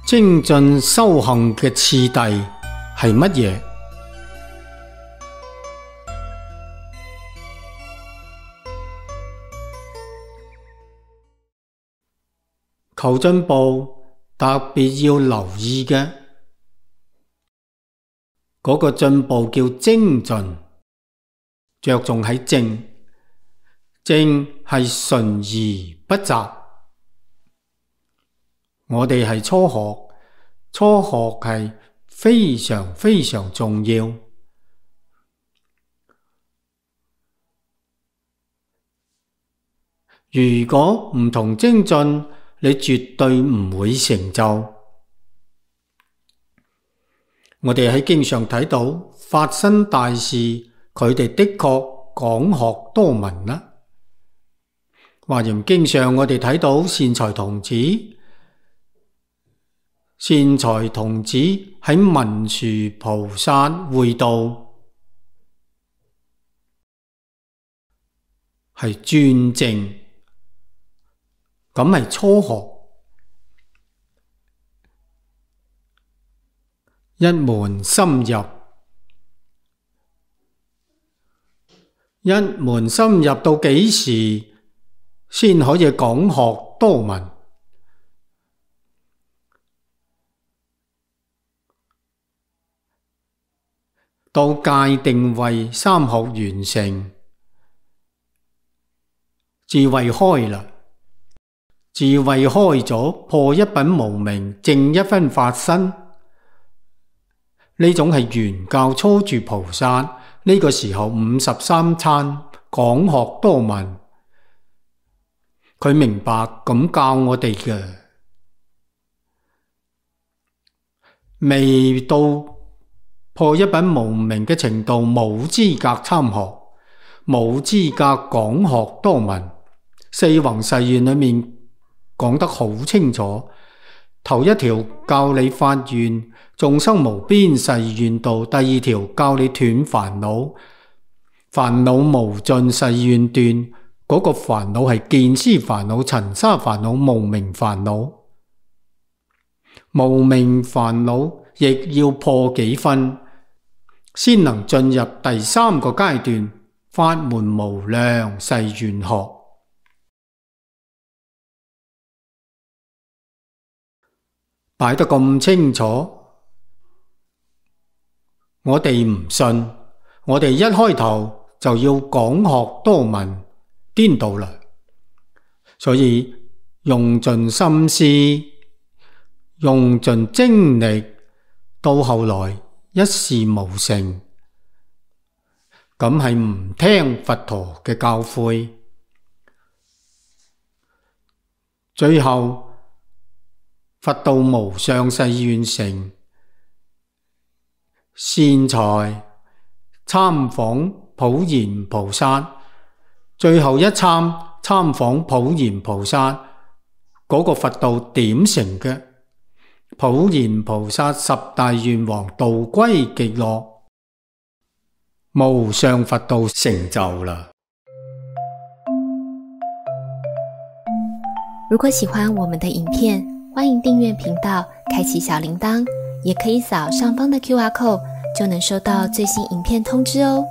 精進修行嘅次第係乜嘢？求進步特別要留意嘅嗰個進步叫精進，着重喺正，正係純而不雜。我哋係初學，初學係非常非常重要。如果唔同精進，你絕對唔會成就。我哋喺經上睇到發生大事，佢哋的確講學多聞啦。華嚴經上我哋睇到善財童子，善財童子喺文殊菩薩會道，係專正。咁係初學，一門深入，一門深入到幾時先可以講學多聞？到戒定慧三學完成，智慧開啦。智慧開咗，破一品無明，正一分法身，呢種係原教初住菩薩。呢個時候53參講學多聞，佢明白咁教我哋嘅。未到破一品無明嘅程度，冇資格參學，冇資格講學多聞。四弘誓願裏面講得好清楚，頭一條教你發願眾生無邊誓願度，第二條教你斷煩惱，煩惱無盡誓願斷。嗰個煩惱係見思煩惱、塵沙煩惱、無明煩惱。無明煩惱亦要破幾分，先能進入第三個階段，法門無量誓願學。擺得咁清楚，我哋唔信，我哋一開頭就要講學多聞，顛倒啦。所以用盡心思，用盡精力，到後來一事無成，咁係唔聽佛陀嘅教誨。最後佛道無上誓願成，善財參訪普賢菩薩，最後一參訪普賢菩薩，嗰個佛道點成嘅？普賢菩薩十大願王度歸極樂，無上佛道成就啦。如果喜歡我們的影片，歡迎訂閱頻道，開啟小鈴鐺，也可以掃上方的QR code，就能收到最新影片通知哦。